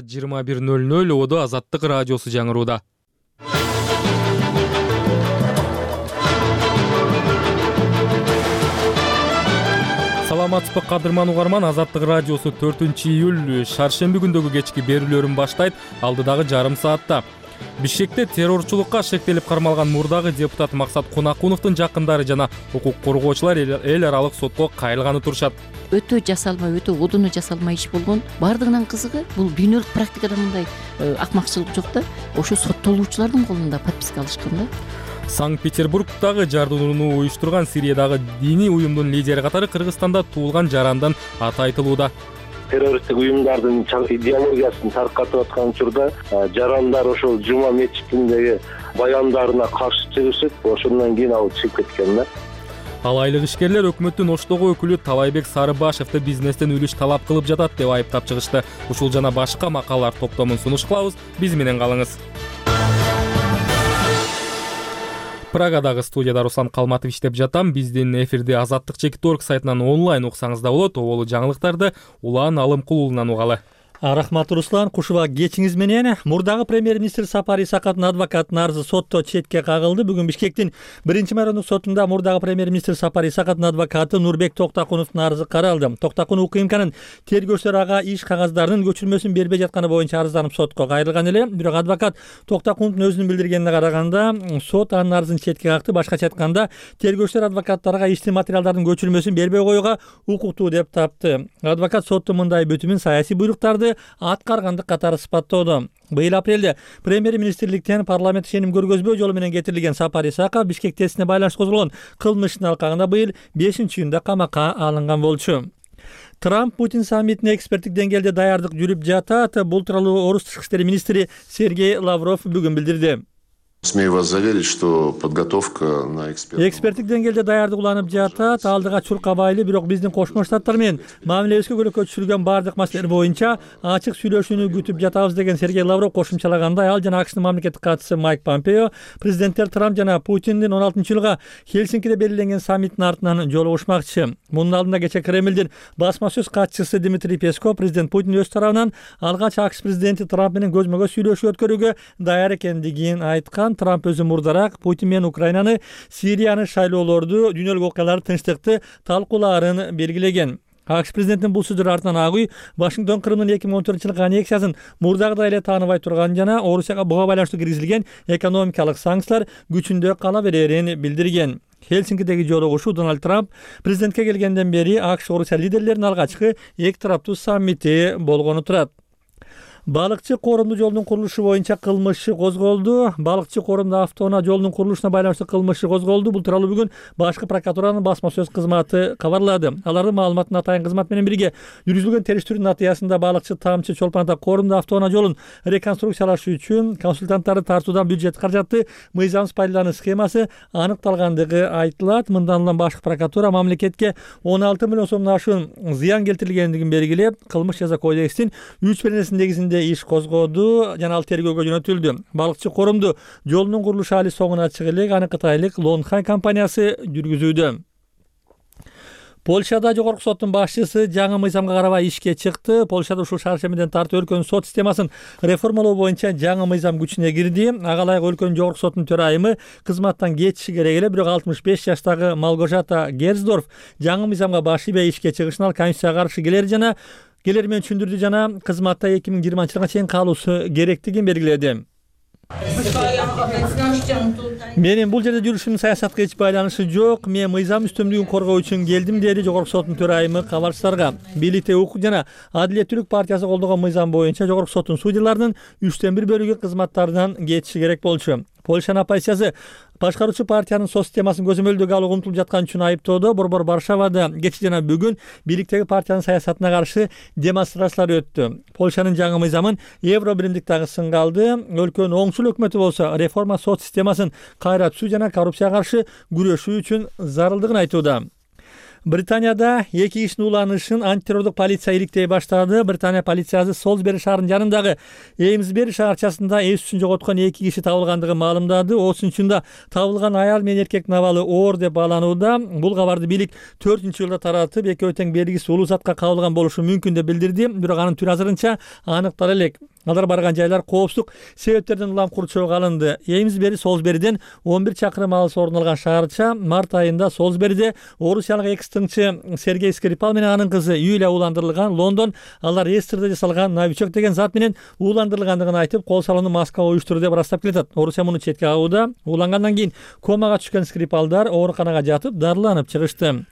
21:00 Оодо Азаттык радиосу жаңырууда. Саламатсызбы кадырман угарман, Азаттык радиосу 4-июль шаршемби күндөгү кечки берүүлөрүн баштайт. Алдыдагы жарым саатта Бишкекте террорчулукка шектелип кармалган мурдагы депутат Максат Кунакуновдун жакындары жана укук коргоочулар эл аралык сотко кайрылганы турушат. Өтө жасалмай, өтө одуну жасалмай иш болгон. Бардыгынан кызыгы бул дүйнөлүк практикада мындай акмакчылык жок да. Ошо соттолуучулардын колунда подписка алышкан да. Санкт-Петербургдагы жардууну уюштурган Сириядагы диний уюмдун лидери катары Кыргызстанда туулган жарандан аты айтылууда. Террористтик уюмдардын идеологиясын таркатып аткан учурда жарандар ошол жума мечитиндеги баяндарына каршы чыгышып, ошондон кийин ал чыгып кеткен да. Ал айлык ишкерлер өкмөттүн Оштогу өкүлү Талайбек Сарыбашевди бизнестен үлүш талап кылып жатат деп айыптап чыгышты. Ушул жана башка макалалар топтомун сунуш кылабыз. Биз менен калыңыз. Прагадагы студияда Руслан Калматов иштеп жатам. Биздин эфирди Азаттык.org сайтынан онлайн уксаңыз да болот. Оболу жаңылыктарды Улан Алымкул уулунан угалы. Рахмат Руслан, кушуба кечиңиз менен. Мурдагы премьер-министр Сапар Исаковдун адвокатынын арызы сотто четке кагылды. Бүгүн Бишкектин 1-майрандык сотунда мурдагы премьер-министр Сапар Исаковдун адвокаты Нурбек Токтакуновдун арызы каралды. Токтакунов УКМКнын тергөөчүлөр ага иш кагаздарынын көчүрмөсүн бербей жатканы боюнча арызданып сотко кайрылган эле. Бирок адвокат Токтакуновдун өзүнүн билдиргенине караганда сот анын арызын четке какты. Башкача айтканда, тергөөчүлөр адвокаттарга иштин материалдардын көчүрмөсүн бербей коюуга укуктуу деп тапты. Адвокат соттун мындай бүтүмүн саясий буйруктарды аткаргандык катары сыпаттоодо. Быйыл апрелде премьер-министрликтен парламент ишеним көргөзбөө жолу менен кетирилген Сапар Исаков Бишкек тестине байланыштуу козголгон кылмыштын алкагында быйыл 5-июнда камакка алынган болчу. Трамп Путин саммитине эксперттик деңгээлде даярдык жүрүп жатат. Бул тууралуу Орус тышкы иштер министри Сергей Лавров бүгүн билдирди. Смею вас заверить, что подготовка на эксперттик деңгээлде даярдык уланып жатат. Алдыга чурка байлы, бирок биздин Кошмо Штаттар менен мамилебизге көйгөйгө түшүргөн бардык маселелер боюнча ачык сүйлөшүүнү күтүп жатабыз деген Сергей Лавров кошумчалагандай. Ал жана АКШнын мамлекеттик катчысы Майк Помпео президенттер Трамп жана Путиндин 16-жылга Хельсинкиде белгиленген саммиттин артынан жолугушмакчы. Мунун алдында кечээ Кремлдин басма сөз катчысы Дмитрий Песков президент Путин өз тарабынан алгач АКШ президенти Трамп менен көзмө көз сүйлөшүү өткөрүүгө даяр экендигин айткан. Трамп өзү мурдараак Путин менен Украинаны, Сирияны, шайлоолорду, дүйнөлүк окуяларды, тынчтыкты талкуулаарын белгилеген. АКШ президентинин бул сөздөрү артынан Ак үй Вашингтон Крымдын 2014-жылкы аннексиясын мурдагыдай эле тааныбай турган жана Орусияга буга байланыштуу киргизилген экономикалык санкциялар күчүндө кала берерин билдирген. Хельсинкидеги жолугушуу Дональд Трамп президентке келгенден бери АКШ Орусия лидерлеринин алгачкы эки тараптуу саммити болгону турат. Балыкчы Коромду жолдун курулушу боюнча кылмыш козголду. Балыкчы Коромду автоунаа жолдун курулушуна байланыштуу кылмыш козголду. Бул тууралуу бүгүн башкы прокуратуранын басма сөз кызматы кабарлады. Алардын маалыматына атайын кызмат менен бирге жүргүзүлгөн териштирүүнүн натыйжасында балыкчы Тамчы Чолпон ата Коромду автоунаа жолун реконструкциялаш үчүн консультанттарды тартуудан бюджет каражатты мыйзамсыз пайдалануу схемасы аныкталгандыгы айтылат. Мындан улам башкы прокуратура мамлекетке 16 миллион сомдон ашуун зыян келтирилгендигин белгилеп, кылмыш жаза кодексинин 3 негизинде иш козгоду жана ал тергөөгө жөнөтүлдү. Балыкчы Коромду жолунун курулушу али соңуна чыга элек. Аны кытайлык Лонхай компаниясы жүргүзүүдө. Польшада жогорку соттун башчысы жаңы мыйзамга карабай ишке чыкты. Польшада ушул шаршемиден тартып өлкөнүн сот системасын реформалоо боюнча жаңы мыйзам күчүнө кирди. Ага ылайык өлкөнүн жогорку соттун төрайымы кызматтан кетиши керек эле, бирок 65 жаштагы Малгожата Герздорф жаңы мыйзамга баш ийбей ишке чыгышын ал конституцияга каршы келери менен түшүндүрдү жана кызматта 2020-жылга чейин калуусу керектигин белгиледи. Менин бул жерде жүрүшүмдүн саясатка эч байланышы жок. Мен мыйзам үстөмдүгүн коргоо үчүн келдим, деди жогорку соттун төрайымы кабарчыларга. Бийликте укук жана Адилеттүүлүк партиясы колдогон мыйзам боюнча жогорку соттун судьяларынын 1/3 бөлүгү кызматтарынан кетиши керек болчу. Польшанын оппозициясы башкаруучу партиянын сот системасын көзөмөлдөгө алууга умтулуп жаткан үчүн айыптоодо. Борбор Варшавада кечээ жана бүгүн бийликтеги партиянын саясатына каршы демонстрациялар өттү. Польшанын жаңы мыйзамын Евро биримдик дагы сынга алды. Өлкөнүн оңчул өкмөтү болсо реформа сот системасын кайра түзүү жана коррупцияга каршы күрөшүү үчүн зарылдыгын айтууда. Британияда 2 кишинин ууланышын антитеррорлук полиция иликтей баштады. Британия полициясы Солсбери шаарынын жанындагы Эймсбери шаарчасында эс түшүн жоготкон 2 киши табылгандыгын маалымдады. Осунчунда табылган аял менен эркек абалы оор деп бааланууда. Бул кабарды бийлик 4-жылда таратып, экөө тең белгисиз улуу затка кабылган болушу мүмкүн деп билдирди. Бирок анын түрү азырынча аныктала элек. Алар барган жайлар коопсуздук себептерден улам курчоого алынды. Эймсбери Солсбериден 11 чакырым алыс орун алган шаарча. Март айында Солсбериде орусиялык экс-тыңчы Сергей Скрипал менен анын кызы Юлия ууландырылган. Лондон алар эстерде жасалган новичок деген зат менен ууландырылгандыгын айтып, кол салууну Москва уюштурду деп ырастап келатат. Орусия муну четке кагууда. Уулангандан кийин комага түшкөн Скрипалдар ооруканага жатып дарыланып чыгышты.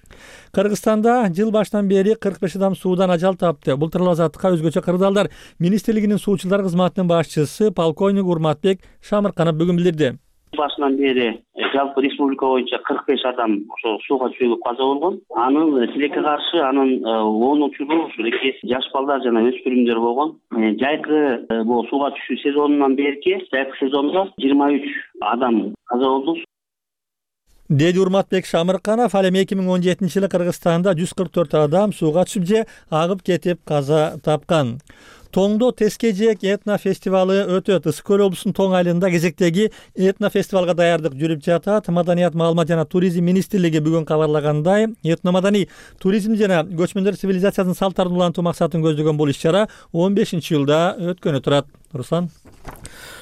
Кыргызстанда жыл башынан бери 45 адам суудан ажал тапты. Бул тууралуу азаттыкка өзгөчө кырдаалдар министрлигинин суучулар кызматынын башчысы полковник Урматбек Шамырканов бүгүн билдирди. Башынан бери жалпы республика боюнча 45 адам ошо сууга түшүп каза болгон. Анын тилекке каршы анын 10 учуру жаш балдар жана өспүрүмдөр болгон. Жайкы бул сууга түшүү сезонунан берки жайкы сезонго 23 адам каза болду. Деди Урматбек Шамырканов. Ал эми 2017-жылы Кыргызстанда 144 адам сууга түшүп же агып кетип каза тапкан. Тоңдо Тескежек этно фестивалы өтөт. Ысык көл облусунун Тоң айылында кезектеги этно фестивалга даярдык жүрүп жатат. Маданият, маалымат жана туризм министрлиги бүгүн кабарлагандай, этно маданий туризм жана көчмөндөр цивилизациясынын салттарын улантуу максатын көздөгөн бул иш-чара 15-жылда өткөнү турат. Руслан.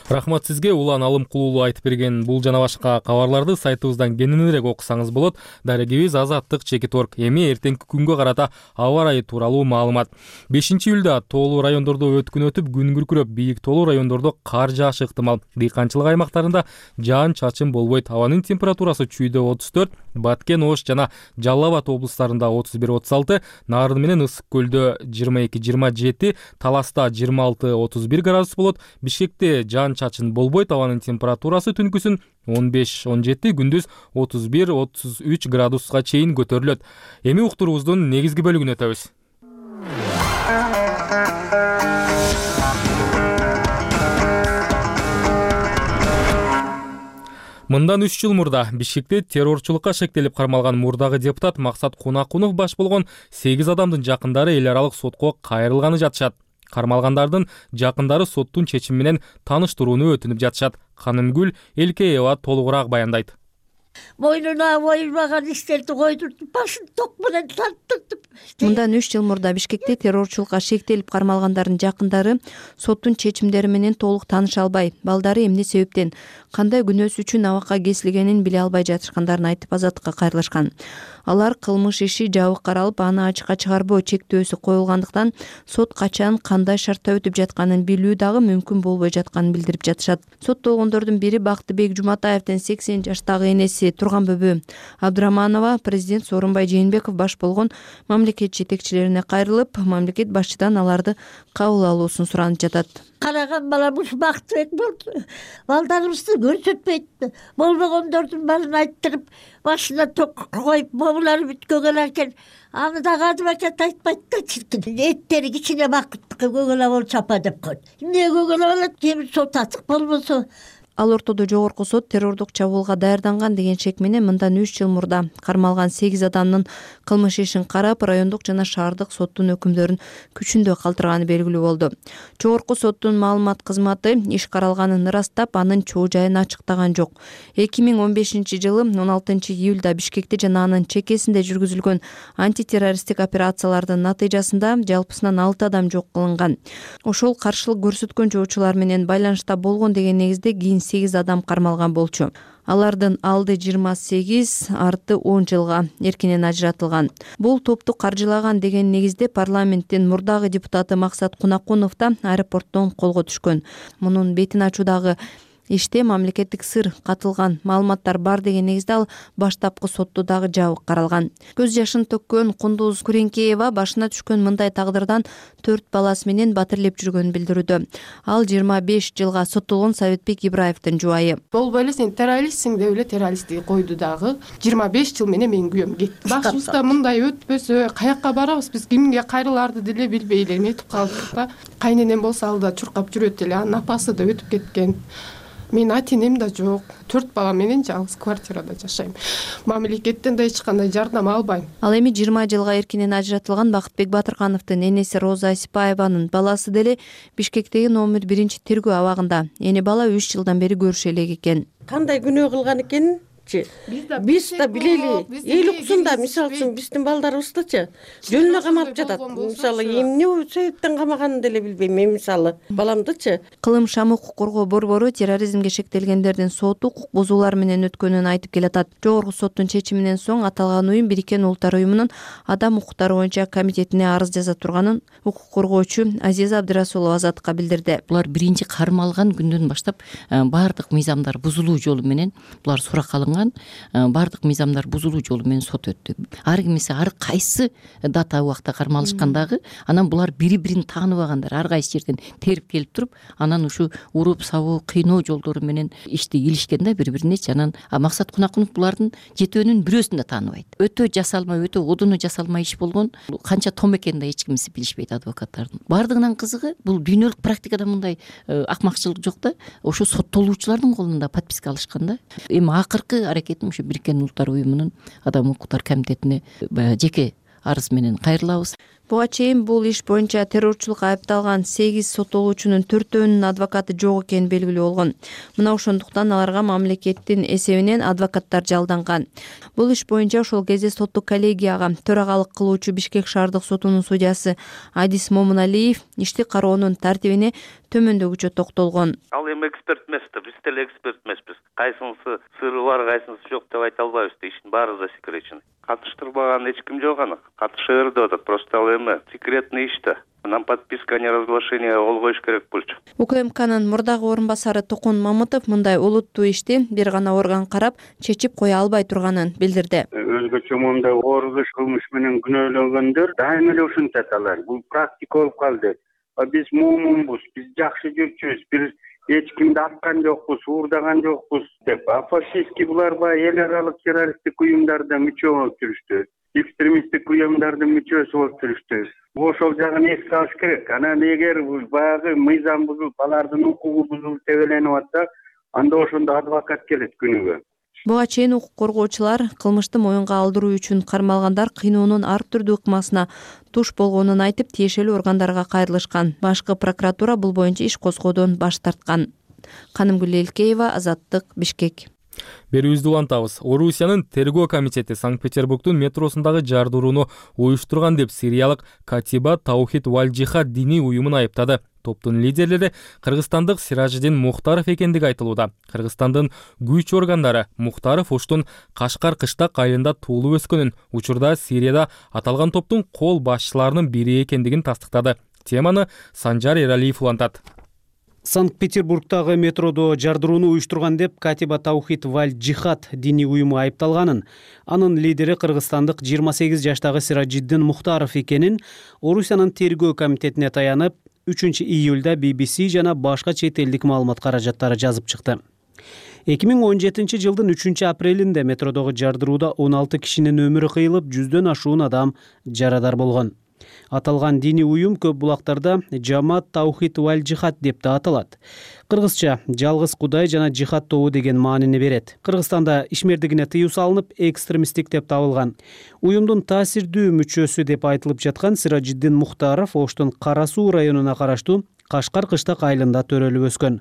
Рахмат сизге. Улан Алымкулуулу айтып берген бул жана башка кабарларды сайтыбыздан кененирээк окусаңыз болот. Дарегибиз Азаттык.org. Эми эртеңки күнгө карата аба ырайы тууралуу маалымат. 5-июлда тоолуу райондордо өткүн өтүп, күн күркүрөп, бийик тоолуу райондордо кар жаашы ыктымал. Дыйканчылык аймактарында жаан-чачын болбойт. Абанын температурасы Чүйдө 34, Баткен, Ош жана Жалал Абад облустарында 31-36, Нарын менен Ысык көлдө 22-27, Таласта 26-31 градус болот. Бишкекте жаан-чачын болбойт. Абанын температурасы түнкүсүн 15-17, күндүз 31-33 градуска чейин көтөрүлөт. Эми уктуруубуздун негизги бөлүгүнө өтөбүз. Мындан 3 жыл мурда Бишкекте террорчулукка шектелип кармалган мурдагы депутат Максат Кунакунов баш болгон 8 адамдын жакындары эл аралык сотко кайрылганы жатышат. Кармалгандардын жакындары соттун чечими менен тааныштырууну өтүнүп жатышат. Канымгүл Элкеева толугураак баяндайт. Мойнуна боюлмаган иштерди койдуртуп, башын ток менен тарттыртып. Мындан 3 жыл мурда Бишкекте террорчулукка шектелип кармалгандардын жакындары соттун чечимдери менен толук тааныша албай, балдары эмне себептен, кандай күнөөсү үчүн абакка кесилгенин биле албай жатышкандарын айтып Азаттыкка кайрылышкан. Алар кылмыш иши жабык каралып, аны ачыкка чыгарбоо чектөөсү коюлгандыктан сот качан, кандай шартта өтүп жатканын билүү дагы мүмкүн болбой жатканын билдирип жатышат. Соттолгондордун бири Бактыбек Жуматаевдин 80 жаштагы энеси Турганбөбө Абдыраманова президент Сооронбай Жээнбеков баш болгон мамлекет жетекчилерине кайрылып, мамлекет башчыдан аларды кабыл алуусун суранып жатат. Караган баламыз Бактыбек болду. Балдарыбызды көрсөтпөйт. Болбогондордун баарын айттырып, башына ток коюп, момулары бүткөгөн экен. Аны да кадыбакет айтпайт да чиркин. Эттери кичине бакыттыкы көгөлө болуп чапа деп койду. Эмне көгөлө болот? Кем сот ачык болбосо. Ал ортодо жогорку сот террордук чабуулга даярданган деген шек менен мындан 3 жыл мурда кармалган 8 адамдын кылмыш ишин карап, райондук жана шаардык соттун өкүмдөрүн күчүндө калтырганы белгилүү болду. Жогорку соттун маалымат кызматы иш каралганын ырастап, анын чоо жайын ачыктаган жок. 2015-жылы 16-июлда Бишкекте жана анын чекесинде жүргүзүлгөн антитеррористтик операциялардын натыйжасында жалпысынан 6 адам жок кылынган. Ошол каршылык көрсөткөн жоочулар менен байланышта болгон деген негизде кийин 8 адам кармалган болчу. Алардын алды 28, арты 10 жылга эркинен ажыратылган. Бул топту каржылаган деген негизде парламенттин мурдагы депутаты Максат Кунакунов да аэропорттон колго түшкөн. Мунун бетин ачуудагы иште мамлекеттик сыр катылган маалыматтар бар деген негизде ал баштапкы сотто дагы жабык каралган. Көз жашын төккөн Кундуз Куренкеева башына түшкөн мындай тагдырдан 4 баласы менен батирлеп жүргөнүн билдирүүдө. Ал 25 жылга соттолгон Советбек Ибраевдин жубайы. Болбой эле сен террористсиң деп эле террористти койду дагы. 25 жыл менен менин күйөөм кетти. Башыбызда мындай өтпөсө каякка барабыз, биз кимге кайрыларды деле билбей эле эметип калдык да. Кайненем болсо ал да чуркап жүрөт эле, анын апасы да өтүп кеткен. Менин ата энем да жок. 4 бала менен жалгыз квартирада жашайм. Мамлекеттен да эч кандай жардам албайм. Ал эми 20 жылга эркинен ажыратылган Бакытбек Батыркановдун энеси Роза Асипаеванын баласы деле Бишкектеги номер 1 тергөө абагында. Эне бала 3 жылдан бери көрүшө элек экен. Кандай күнөө кылган экенин биз да билели. Эл уксун да, мисалы үчүн биздин балдарыбыздычы жөнүнө камалып жатат. Мисалы эмне себептен камаганын деле билбейм. Мен мисалы баламдычы. Кылым Шам укук коргоо борбору терроризмге шектелгендердин соту укук бузуулар менен өткөнүн айтып келатат. Жогорку соттун чечиминен соң аталган уюм Бириккен Улуттар уюмунун адам укуктары боюнча комитетине арыз жаза турганын укук коргоочу Азиза Абдырасулова Азаттыкка билдирди. Булар биринчи кармалган күндөн баштап баардык мыйзамдар бузулуу жолу менен булар суракка алынган. Баардык мыйзамдар бузулуу жолу менен сот өттү. Ар кимиси ар кайсы дата убакта кармалышкандагы, анан булар бири-бирин тааныбагандар. Ар кайсы жерден терип келип туруп, анан ушу уруп, сабоо, кыйноо жолдору менен ишти илишкен да бири-биринечи. Анан Максат Кунакунов булардын жетөөнүн бирөөсүн да тааныбайт. Өтө жасалмай, өтө одуну жасалмай иш болгон. Канча том экенин да эч кимиси билишпейт адвокаттардын. Бардыгынан кызыгы бул дүйнөлүк практикада мындай акмакчылык жок да. Ошо соттолуучулардын колунда подписка алышкан да. Эми акыркы аракетим ушу Бириккен Улуттар уюмунун адам укуктар комитетине жеке арыз менен кайрылабыз. Буга чейин бул иш боюнча террорчулукка айыпталган 8 соттолуучунун 4-өөнүн адвокаты жок экени белгилүү болгон. Мына ошондуктан аларга мамлекеттин эсебинен адвокаттар жалданган. Бул иш боюнча ошол кезде соттук коллегияга төрагалык кылуучу Бишкек шаардык сотунун судьясы Адис Момуналиев ишти кароонун тартибине төмөндөгүчө токтолгон. Ал эми эксперт эмес да, биз деле эксперт эмеспиз. Кайсынысы сыры бар, кайсынысы жок деп айта албайбыз да, иштин баары засекречен. Катыштырбаган эч ким жок аны. Катыша берди деп атат, просто ал эми секретный иш да. Нам подписка, не разглашение кол коюш керек болчу. УКМКнын мурдагы орун басары Токун Мамытов мындай олуттуу ишти бир гана орган карап чечип кое албай турганын билдирди. Өзгөчө мындай оор иш кылмыш менен күнөөлөнгөндөр дайыма эле ушинтет алар. Бул практика болуп калды. Биз муумунбуз, биз жакшы жүрчүбүз, бир эч кимди аткан жокпуз, уурдаган жокпуз деп. Фашистский булар баягы эл аралык террористтик уюмдарда мүчө болуп жүрүштү. Экстремисттик уюмдардын мүчөсү болуп жүрүштү. Ошол жагын эске алыш керек. Анан эгер баягы мыйзам бузулуп, алардын укугу бузулуп тебеленип атса, анда ошондо адвокат келет күнүгө. Буга чейин укук коргоочулар кылмышты моюнга алдыруу үчүн кармалгандар кыйноонун ар түрдүү ыкмасына туш болгонун айтып, тиешелүү органдарга кайрылышкан. Башкы прокуратура бул боюнча иш козгоодон баш тарткан. Канымгүл Элкеева, Азаттык, Бишкек. Берүүбүздү улантабыз. Орусиянын тергөө комитети Санкт-Петербургдун метросундагы жардырууну уюштурган деп сириялык Катиба Таухид валь Джихад диний уюмун айыптады. Топтун лидерлери кыргызстандык Сиражидин Мухтаров экендиги айтылууда. Кыргызстандын күч органдары Мухтаров Оштун Кашкар кыштак айылында туулуп өскөнүн, учурда Сирияда аталган топтун кол башчыларынын бири экендигин тастыктады. Теманы Санжар Эралиев улантат. Санкт-Петербургдагы метродо жардырууну уюштурган деп Катиба Таухид валь Джихад диний уюму айыпталганын, анын лидери кыргызстандык 28 жаштагы Сиражиддин Мухтаров экенин Орусиянын тергөө комитетине таянып 3-июлда BBC жана башка чет элдик маалымат каражаттары жазып чыкты. 2017 жылдын 3-апрелинде метродогу жардырууда 16 кишинин өмүрү кыйылып, 100дөн ашуун адам жарадар болгон. Аталган диний уюм көп булактарда Жамаат Таухид валь Джихад деп да аталат. Кыргызча жалгыз Кудай жана жихад тобу деген маанини берет. Кыргызстанда ишмердигине тыюу салынып, экстремисттик деп табылган. Уюмдун таасирдүү мүчөсү деп айтылып жаткан Сиражиддин Мухтаров Оштун Кара Суу районуна караштуу Кашкар кыштак айылында төрөлүп өскөн.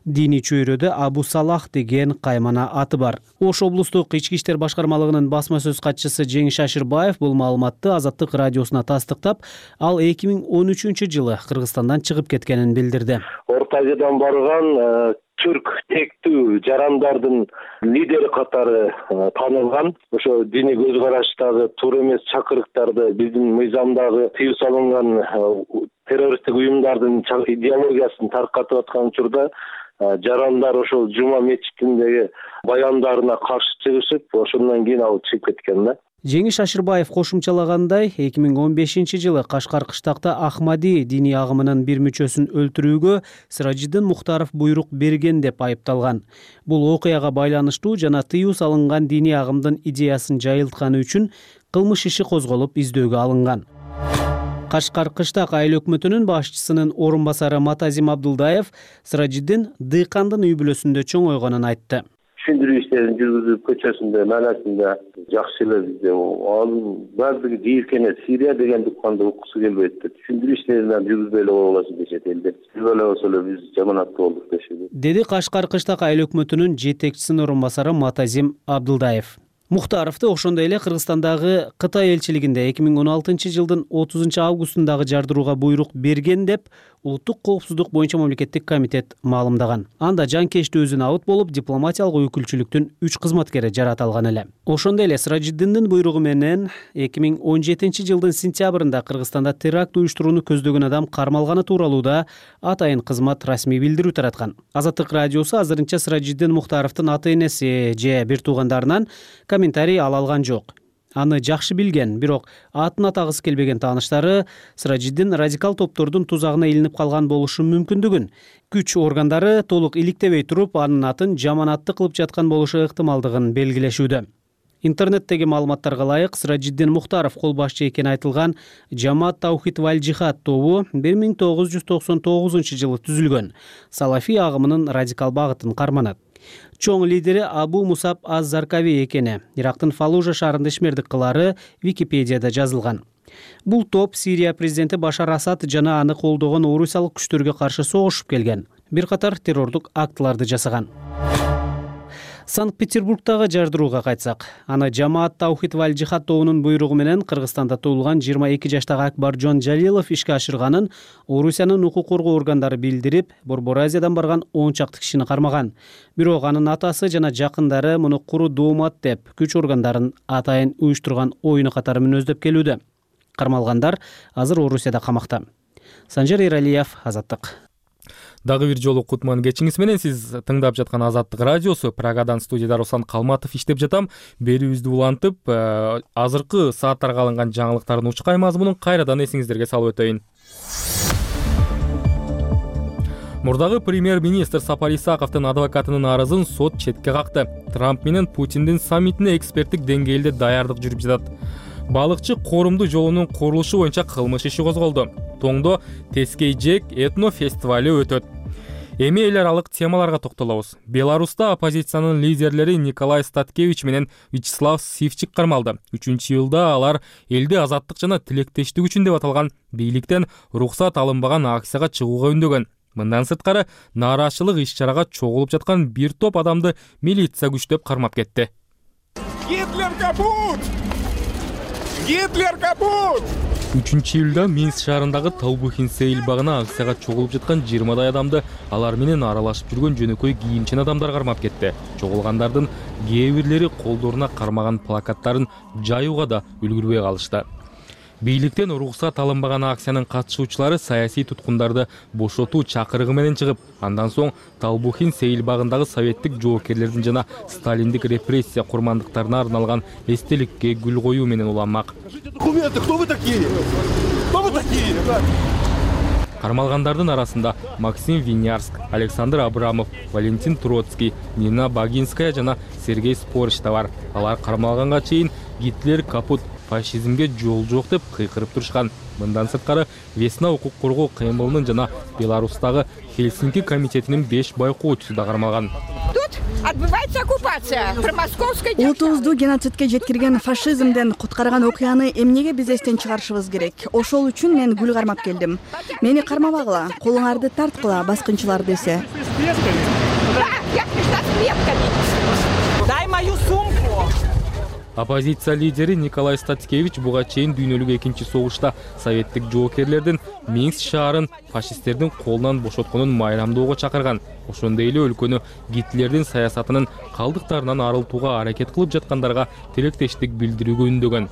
Диний чөйрөдө Абу Салах деген каймана аты бар. Ош облустук ички иштер башкармалыгынын басма сөз катчысы Жеңиш Ашырбаев бул маалыматты Азаттык радиосуна тастыктап, ал 2013 жылы Кыргызстандан чыгып кеткенин билдирди. Орто Азиядан барган түрк тектүү жарандардын лидери катары танылган. Ошо диний көз караштагы туура эмес чакырыктарды биздин мыйзамдагы тыюу салынган террористтик уюмдардын идеологиясын таркатып аткан учурда жарандар ошол жума мечитиндеги баяндарына каршы чыгышып, ошондон кийин ал чыгып кеткен да. Жеңиш Ашырбаев кошумчалагандай, 2015 жылы Кашкар кыштакта Ахмади диний агымынын бир мүчөсүн өлтүрүүгө Сиражиддин Мухтаров буйрук берген деп айыпталган. Бул окуяга байланыштуу жана тыюу салынган диний агымдын идеясын жайылтканы үчүн кылмыш иши козголуп издөөгө алынган. Кашкар кыштак айыл өкмөтүнүн башчысынын орун басары Матазим Абдулдаев Сыражиддин дыйкандын үй бүлөсүндө чоңойгонун айтты. Түшүндүрүү иштерин жүргүзүп, көчөсүндө, майласында жакшы эле бизде. Анын баардыгы жийиркене Сирия деген дукканды уккусу келбейт деп. Түшүндүрүү иштерин жүргүзбөй эле койгуласын дешет элдер. Жүргүзбөй болсо эле биз жаманаттуу болдук дешет. Деди Кашкар кыштак айыл өкмөтүнүн жетекчисинин орун басары Матазим Абдулдаев. Мухтаровду ошондой эле Кыргызстандагы Кытай элчилигинде 2016 жылдын 30 августундагы жардырууга буйрук берген деп Улуттук коопсуздук боюнча мамлекеттик комитет маалымдаган. Анда жанкечтүү өзүнө абыт болуп, дипломатиялык өкүлчүлүктүн 3 кызматкери жаратылган эле. Ошондой эле Сыражиддиндин буйругу менен 2017 жылдын сентябрында Кыргызстанда теракт уюштурууну көздөгөн адам кармалганы тууралуу да атайын кызмат расмий билдирүү тараткан. Азаттык радиосу азырынча Сыражиддин Мухтаровдун ата-энеси же бир туугандарынан комментарий ала алган жок. Аны жакшы билген, бирок атын атагысы келбеген тааныштары Сыражиддин радикал топтордун тузагына илинип калган болушу мүмкүндүгүн, күч органдары толук иликтебей туруп, анын атын жаманатты кылып жаткан болушу ыктымалдыгын белгилешүүдө. Интернеттеги маалыматтарга ылайык, Сыражиддин Мухтаров кол башчы экени айтылган Жамаат Таухид валь Жихад тобу 1999 жылы түзүлгөн. Салафи агымынын радикал багытын карманат. Чоң лидери Абу Мусаб аз-Заркави экени Ирактын Фалужа шаарында ишмердик кылары Википедияда жазылган. Бул топ Сирия президенти Башар Асад жана аны колдогон орусиялык күчтөргө каршы согушуп келген. Бир катар террордук актыларды жасаган. Санкт-Петербургдагы жардырууга кайтсак, аны Жамаат Таухид валь Жихад тобунун буйругу менен Кыргызстанда туулган 22 жаштагы Акбаржон Жалилов ишке ашырганын Орусиянын укук коргоо органдары билдирип, Борбор Азиядан барган 10 чакты кишини кармаган. Бирок анын атасы жана жакындары муну куру доомат деп, күч органдарын атайын уюштурган оюну катары мүнөздөп келүүдө. Кармалгандар азыр Орусияда камакта. Санжар Эралиев, Азаттык. Дагы бир жолу кутман кечиңиз менен. Сиз тыңдап жаткан Азаттык радиосу. Прагадан студияда Руслан Калматов иштеп жатам. Берүүбүздү улантып, азыркы сааттарга алынган жаңылыктардын учкай мазмунун кайрадан эсиңиздерге салып өтөйүн. Мурдагы премьер-министр Сапар Исаковдун адвокатынын арызын сот четке какты. Трамп менен Путиндин саммитине эксперттик деңгээлде даярдык жүрүп жатат. Балыкчы Корумду жолунун курулушу боюнча кылмыш иши козголду. Тоңдо Тескей Жек этно фестивали өтөт. Эми эл аралык темаларга токтолобуз. Беларуста оппозициянын лидерлери Николай Статкевич менен Вячеслав Сивчик кармалды. 3-июлда алар элди азаттык жана тилектештик үчүн деп аталган бийликтен уруксат алынбаган акцияга чыгууга үндөгөн. Мындан сырткары нааразычылык иш-чарага чогулуп жаткан бир топ адамды милиция күчтөп кармап кетти. Гитлер капут! Гитлер капут! 3-июлда Минск шаарындагы Талбухин сейил багына акцияга чогулуп жаткан 20 адамды алар менен аралашып жүргөн жөнөкөй кийимчен адамдар кармап кетти. Чогулгандардын кээ бирлери колдоруна кармаган плакаттарын жаюуга да үлгүрбөй калышты. Бийликтен уруксат алынбаган акциянын катышуучулары саясий туткундарды бошотуу чакырыгы менен чыгып, андан соң Талбухин сейил багындагы советтик жоокерлердин жана сталиндик репрессия курмандыктарына арналган эстеликке гүл коюу менен уланмак. Документы, кто вы такие? Кто вы такие? Кармалгандардын арасында Максим Винярск, Александр Абрамов, Валентин Троцкий, Нина Багинская жана Сергей Спорыч да бар. Алар кармалганга чейин Гитлер капут, фашизмге жол жок деп кыйкырып турушкан. Мындан сырткары Весна укук коргоо кыймылынын жана Беларустагы Хельсинки комитетинин 5 байкоочусу да кармалган. Тут отбывается оккупация промосковской. Улутубузду геноцидке жеткирген фашизмден куткарган окуяны эмнеге биз эстен чыгарышыбыз керек? Ошол үчүн мен гүл кармап келдим. Мени кармабагыла, колуңарды тарткыла, баскынчылар десе. Да, я пришла с клетками. Дай мою сумку. Оппозиция лидери Николай Статкевич буга чейин дүйнөлүк экинчи согушта советтик жоокерлердин Минск шаарын фашисттердин колунан бошотконун майрамдоого чакырган. Ошондой эле өлкөнү Гитлердин саясатынын калдыктарынан арылтууга аракет кылып жаткандарга тилектештик билдирүүгө үндөгөн.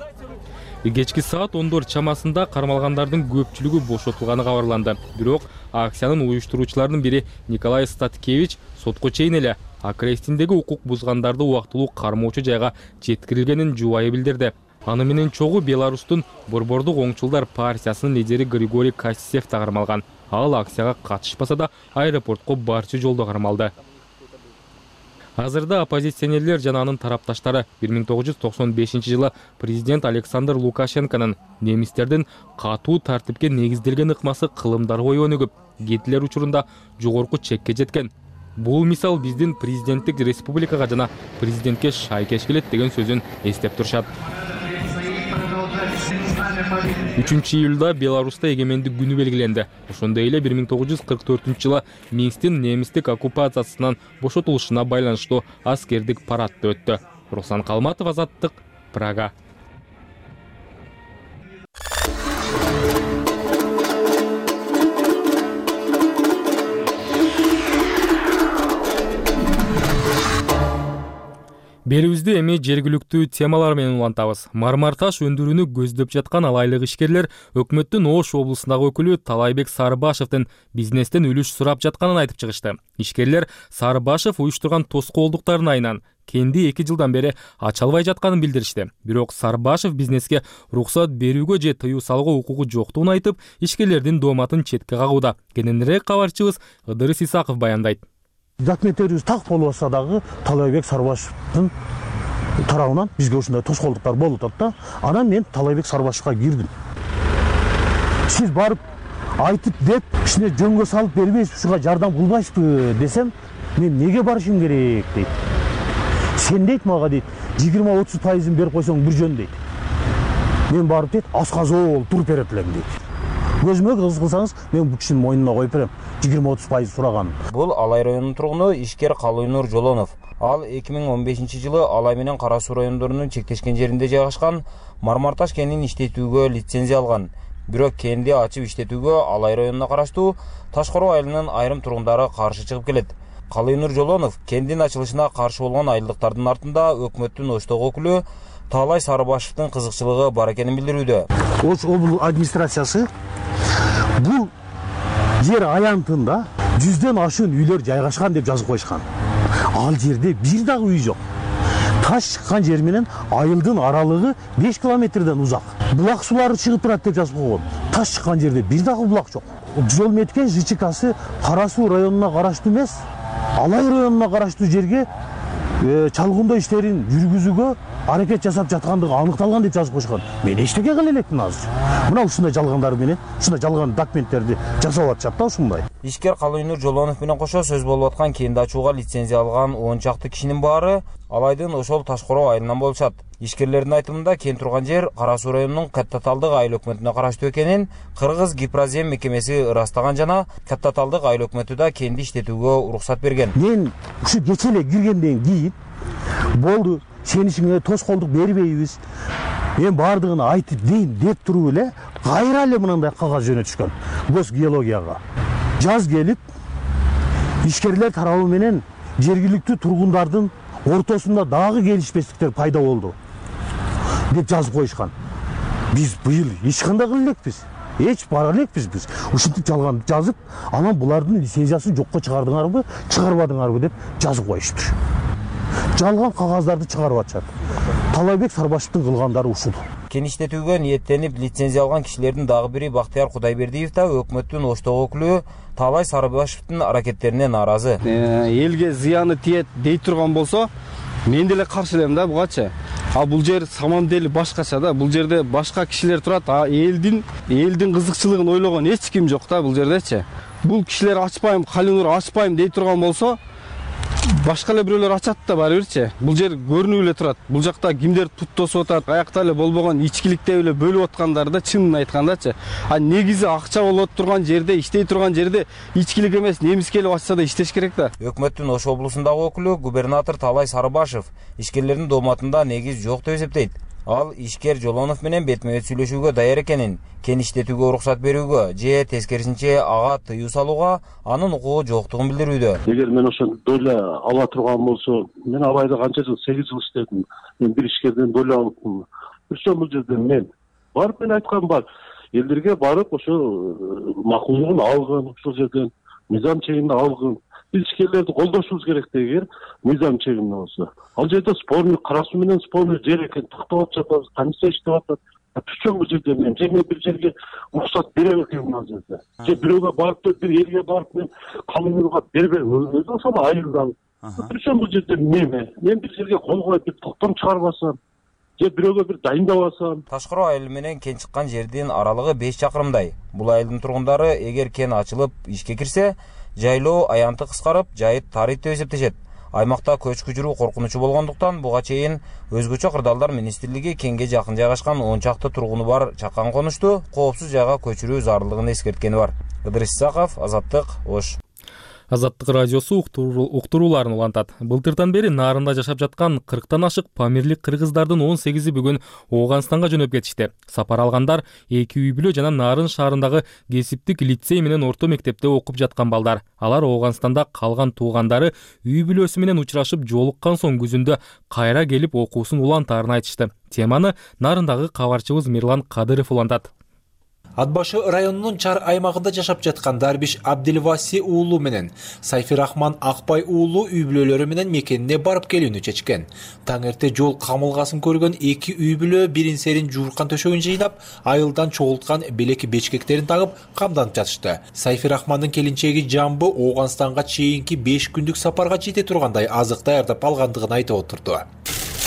Кечки саат 10 чамасында кармалгандардын көпчүлүгү бошотулганы кабарланды. Бирок акциянын уюштуруучуларынын бири Николай Статкевич сотко чейин эле Акрестиндеги укук бузгандарды убактылуу кармоочу жайга жеткирилгенин жубайы билдирди. Аны менен чогуу Беларустун Борбордук оңчулдар партиясынын лидери Григорий Кассиев да кармалган. Ал акцияга катышпаса да аэропортко барчу жолдо кармалды. Азырда оппозиционерлер жана анын тарапташтары 1995-жылы президент Александр Лукашенконун немистердин катуу тартипке негизделген ыкмасы кылымдар бою өнүгүп, Гитлер учурунда жогорку чекке жеткен. Бул мисал биздин президенттик республикага жана президентке шайкеш келет деген сөзүн эстеп турушат. 3-июлда Беларуста эгемендик күнү белгиленди. Ошондой эле 1944-жылы Минсктин немистик оккупациясынан бошотулушуна байланыштуу аскердик парад өттү. Руслан Калматов, Азаттык, Прага. Берүүбүздү эми жергиликтүү темалар менен улантабыз. Мармар таш өндүрүүнү көздөп жаткан алайлык ишкерлер өкмөттүн Ош облусундагы өкүлү Талайбек Сарыбашевдин бизнестен үлүш сурап жатканын айтып чыгышты. Ишкерлер Сарыбашев уюштурган тоскоолдуктардын айынан кенди 2 жылдан бери ача албай жатканын билдиришти. Бирок Сарыбашев бизнеске уруксат берүүгө же тыюу салууга укугу жоктугун айтып, ишкерлердин дооматын четке кагууда. Кененирээк кабарчыбыз Ыдырыс Исаков баяндайт. Документтерибиз так болуп атса дагы Талайбек Сарыбашевдин тарабынан бизге ушундай тоскоолдуктар болуп атат да. Анан мен Талайбек Сарыбашевга кирдим. Сиз барып айтып деп, ишине жөнгө салып бербейсиз, ушуга жардам кылбайсызбы десем, мен неге барышым керек дейт. Сен дейт мага дейт, 20-30% берип койсоң бир жөн дейт. Мен барып дейт, асказоо туруп берет элем дейт. Көзүмө кыз кылсаңыз, мен бул кишинин мойнуна коюп берем. 20-30% сураганын. Бул Алай районунун тургуну ишкер Калыйнур Жолонов. Ал 2015-жылы Алай менен Кара Суу райондорунун чектешкен жеринде жайгашкан мармарташ кенин иштетүүгө лицензия алган. Бирок кенди ачып иштетүүгө Алай районуна караштуу Ташкороо айылынын айрым тургундары каршы чыгып келет. Калыйнур Жолонов кендин ачылышына каршы болгон айылдыктардын артында өкмөттүн Оштогу өкүлү Талай Сарыбашевдин кызыкчылыгы бар экенин билдирүүдө. Ош облус администрациясы бул жер аянтында 100ден ашуун үйлөр жайгашкан деп жазып койушкан. Ал жерде бир дагы үй жок. Таш чыккан жер менен айылдын аралыгы 5 километрден узак. Булак сулары чыгып турат деп жазып койгон. Таш чыккан жерде бир дагы булак жок. Жол меткен ЖЧКсы Кара Суу районуна караштуу эмес, Алай районуна караштуу жерге чалгындоо иштерин жүргүзүүгө аракет жасап жаткандыгы аныкталган деп жазып койушкан. Мен эчтеке кыла элекмин азыр. Мына ушундай жалгандар менен, ушундай жалган документтерди жасап атышат да ушундай. Ишкер Калыйнур Жолонов менен кошо сөз болуп аткан кенди ачууга лицензия алган 10 чакты кишинин баары Алайдын ошол Ташкороо айылынан болушат. Ишкерлердин айтымында кен турган жер Кара Суу районунун Каттаталдык айыл өкмөтүнө караштуу экенин Кыргыз Гипрозем мекемеси ырастаган жана Каттаталдык айыл өкмөтү да кенди иштетүүгө уруксат берген. Мен ушу кече эле киргенден кийин болду, сен ишиңе тоскоолдук бербейбиз. Мен бардыгын айтып дейм деп туруп эле кайра эле мындай кагаз жөнөтүшкөн. Госгеологияга. Жаз келип, ишкерлер тарабы менен жергиликтүү тургундардын ортосунда дагы келишпестиктер пайда болду деп жазып коюшкан. Биз быйыл эч кандай кыла элекпиз. Эч бара элекпиз биз. Ушинтип жалган жазып, анан булардын лицензиясын жокко чыгардыңарбы, чыгарбадыңарбы деп жазып коюштур. Жалган кагаздарды чыгарып атышат. Талайбек Сарыбашевдин кылгандары ушул. Кен иштетүүгө ниеттенип лицензия алган кишилердин дагы бири Бактыяр Кудайбердиев да өкмөттүн Оштогу өкүлү Талай Сарыбашевдин аракеттерине нааразы. Элге зыяны тиет дей турган болсо, мен деле каршы элем да бугачы. А бул жер саман дели башкача да. Бул жерде башка кишилер турат. А элдин кызыкчылыгын ойлогон эч ким жок да бул жердечи. Бул кишилер ачпайм, Калыйнур ачпайм дей турган болсо, башка эле бирөөлөр ачат да баары бирчи. Бул жер көрүнүп эле турат. Бул жакта кимдер тут тосуп атат, аякта эле болбогон ичкиликтеп эле бөлүп аткандары да чынын айткандачы. А негизи акча болуп турган жерде, иштей турган жерде ичкилик эмес, немис келип ачса да иштеш керек да. Өкмөттүн Ош облусундагы өкүлү губернатор Талай Сарыбашев ишкерлердин дооматында негиз жок деп эсептейт. Ал ишкер Жолонов менен бетме-бет сүйлөшүүгө даяр экенин, кен иштетүүгө уруксат берүүгө же тескерисинче ага тыюу салууга анын укугу жоктугун билдирүүдө. Эгер мен ошол доля ала турган болсо, мен Алайда канча жыл, 8 жыл иштедим. Мен бир ишкерден доля алыпмын. Ошол бул жерде мен барып мен айткан бар. Элдерге барып ошо макулдугун алгын, ошол жерден мыйзам чегинде алгын. Биз ишкерлерди колдошубуз керек эгер мыйзам чегинде болсо. Ал жерде спорный, Кара Суу менен спорный жер экен, тактап жатабыз, комиссия иштеп атат. Түшөн бул жерде мен бир жерге уруксат бере элекмин ал жерде. Же бирөөгө барып, бир элге барып мен Калыйнурга бербейм. Өзү ошол айылдан Причем бул жерде мен бир жерге кол коюп бир токтом чыгарбасам же бирөөгө бир дайындабасам. Ташкыроо айыл менен кен чыккан жердин аралыгы 5 чакырымдай. Бул айылдын тургундары эгер кен ачылып ишке кирсе, жайлоо аянты кыскарып, жайыт тарыйт деп эсептешет. Аймакта көчкү жүрүү коркунучу болгондуктан буга чейин өзгөчө кырдаалдар министрлиги кенге жакын жайгашкан 10 чакты тургуну бар чакан конушту коопсуз жайга көчүрүү зарылдыгын эскерткени бар. Ыдырыс Исаков, Азаттык, Ош. Азаттык радиосу уктурууларын улантат. Былтыртан бери Нарында жашап жаткан 40тан ашык памирлик кыргыздардын 18-и бүгүн Ооганстанга жөнөп кетишти. Сапар алгандар 2 үй бүлө жана Нарын шаарындагы кесиптик лицей менен орто мектепте окуп жаткан балдар. Алар Ооганстанда калган туугандары үй бүлөсү менен учурашып жолуккан соң күзүндө кайра келип окуусун улантаарын айтышты. Теманы Нарындагы кабарчыбыз Мирлан Кадыров улантат. Ат башы районунун Чар аймагында жашап жаткан Дарбиш Абдилваси уулу менен Сайфирахман Акбай уулу үй бүлөлөрү менен мекенине барып келүүнү чечкен. Таң эрте жол камылгасын көргөн 2 үй бүлө бирин-серин жууркан төшөгүн жыйнап, айылдан чогулткан белек бечкектерин тагып камданып жатышты. Сайфирахмандын келинчеги Жамбы Ооганстанга чейинки 5 күндүк сапарга жете тургандай азык даярдап алгандыгын айтып отурду.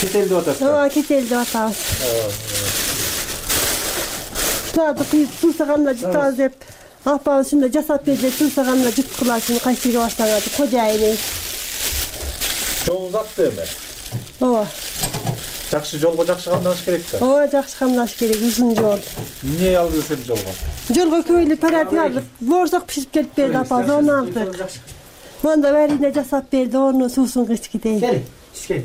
Кетел деп атасыз? Кетел деп атабыз. Туады кыйып туусаганына жутабыз деп апабыз ушундай жасап берди, туусаганына жуткуласын кайсы жерге барсаңар деп кожайыны. Жол узатты эми. Ооба. Жакшы жолго жакшы камдаш керек да. Ооба, жакшы камдаш керек, узун жол. Эмне алып келсем жолго? Жолго көйлү паратик алып, боорсок пишип келип берди апабыз, оны алдык. Монда бәріне жасап берди, оны суусун кычкидей. Кел.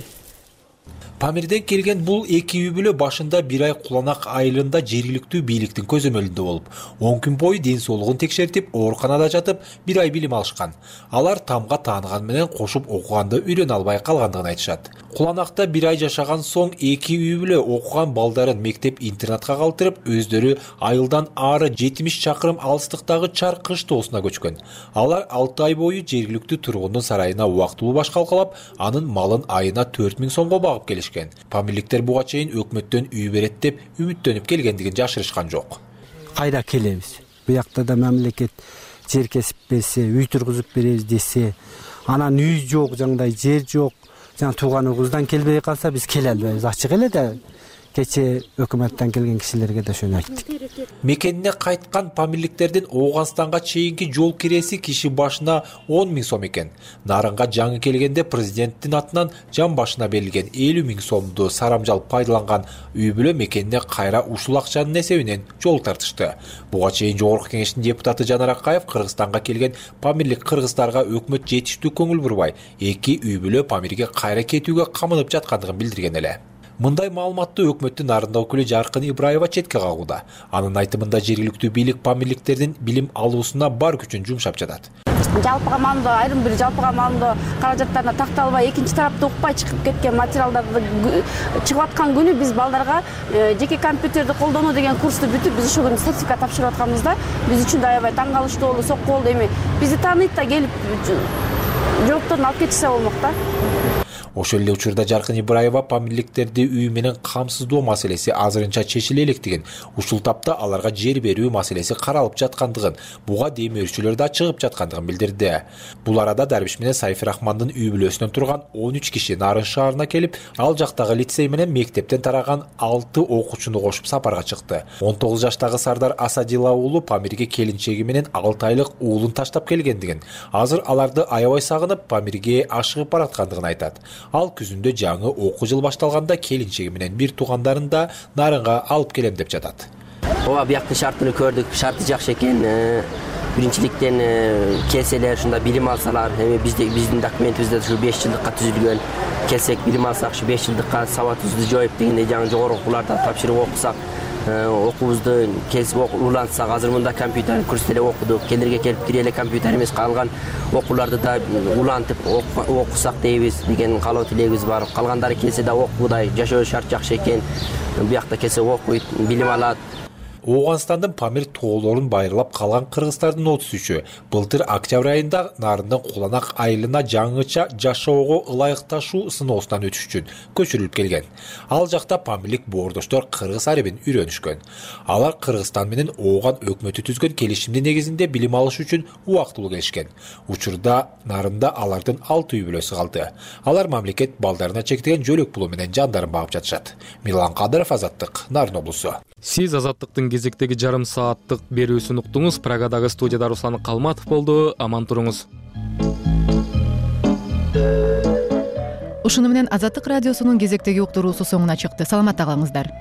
Памирден келген бул 2 үй бүлө башында 1 ай Куланак айылында жергиликтүү бийликтин көзөмөлүндө болуп, 10 күн бою ден соолугун текшертип, ооруканада жатып, 1 ай билим алышкан. Алар тамга тааныган менен кошуп окуганды үйрөнө албай калгандыгын айтышат. Куланакта 1 ай жашаган соң 2 үй бүлө окуган балдарын мектеп-интернатка калтырып, өздөрү айылдан ары 70 чакырым алыстыктагы Чар кыш тоосуна көчкөн. Алар 6 ай бою жергиликтүү тургундун сарайына убактылуу баш калкалап, анын малын айына 4000 сомго багып келишкен. Памирликтер буга чейин өкмөттөн үй берет деп үмүттөнүп келгендигин жашырышкан жок. Кайда келебиз? Буякта да мамлекет жер кесип берсе, үй тургузуп беребиз десе, анан үй жок, жандай жер жок, жана тууганыбыздан келбей калса биз келе албайбыз. Ачык эле да кече өкмөттөн келген кишилерге да ошону айттык. Мекенине кайткан памирликтердин Ооганстанга чейинки жол киреси киши башына 10 000 сом экен. Нарынга жаңы келгенде президенттин атынан жан башына берилген 50 000 сомду сарамжал пайдаланган үй бүлө мекенине кайра ушул акчанын эсебинен жол тартышты. Буга чейин Жогорку кеңештин депутаты Жанар Акаев Кыргызстанга келген памирлик кыргыздарга өкмөт жетиштүү көңүл бурбай, 2 үй бүлө памирге кайра кетүүгө камынып жаткандыгын билдирген эле. Мындай маалыматты өкмөттүн Нарында өкүлү Жаркын Ибраева четке кагууда. Анын айтымында жергиликтүү бийлик памирликтердин билим алуусуна бар күчүн жумшап жатат. Жалпыга маалымда айрым бир жалпыга маалымда каражаттарына такталбай, экинчи тарапта укпай чыгып кеткен материалдарды чыгып аткан күнү биз балдарга жеке компьютерди колдонуу деген курсту бүтүп, биз ушул күнү сертификат тапшырып атканбызда, биз үчүн да аябай таң калыштуу болду, сокку болду. Эми бизди тааныйт да келип жоопторун алып кетишсе болмок да. Ошол эле учурда Жаркын Ибраева памирликтерди үй менен камсыздоо маселеси азырынча чечиле электигин, ушул тапта аларга жер берүү маселеси каралып жаткандыгын, буга демөөрчүлөр да чыгып жаткандыгын билдирди. Бул арада Дарбиш менен Сайфирахмандын үй бүлөсүнөн турган 13 киши Нарын шаарына келип, ал жактагы лицей менен мектептен тараган 6 окуучуну кошуп сапарга чыкты. 19 жаштагы Сардар Асадила уулу памирге келинчеги менен 6 айлык уулун таштап келгендигин, азыр аларды аябай сагынып, памирге ашыгып бараткандыгын айтат. Ал күзүндө жаңы окуу жыл башталганда келинчеги менен бир туугандарын да Нарынга алып келем деп жатат. Ооба, бияктын шартын көрдүк, шарты жакшы экен. Биринчиликтен келселер, ушунда билим алсалар, эми биздин документибизде ушу 5 жылдыкка түзүлгөн. Келсек билим алсак, ушу 5 жылдыкка сабатыбызды жоюп дегендей жаңы жогорку окууларда тапшырып окусак, окуубузду кесип улантсак, азыр мында компьютер курсте эле окудук. Келерге келип кире эле компьютер эмес, калган окууларды да улантып окусак дейбиз деген каалоо тилегибиз бар. Калгандары келсе да окуудай, жашоо шарт жакшы экен. Буякта келсе окуйт, билим алат. Ооганстандын Памир тоолорун байырлап калган кыргыздардын 33-ü былтыр октябрь айында Нарындын Куланак айылына жаңыча жашоого ылайыкташуу сыноосунан өтүш үчүн көчүрүлүп келген. Ал жакта памирлик боордоштор кыргыз арабин үйрөнүшкөн. Алар Кыргызстан менен Ооган өкмөтү түзгөн келишимдин негизинде билим алыш үчүн убактылуу келишкен. Учурда Нарында алардын 6 үй бүлөсү калды. Алар мамлекет балдарына чектеген жөлөк пулу менен жандарын багып жатышат. Милан Кадыров, Азаттык, Нарын облусу. Сиз Азаттыктын кезектеги жарым сааттык берүүсүн уктуңуз. Прагадагы студияда Руслан Калматов болду. Аман туруңуз. Ушуну менен Азаттык радиосунун кезектеги уктуруусу соңуна чыкты. Саламатта калыңыздар.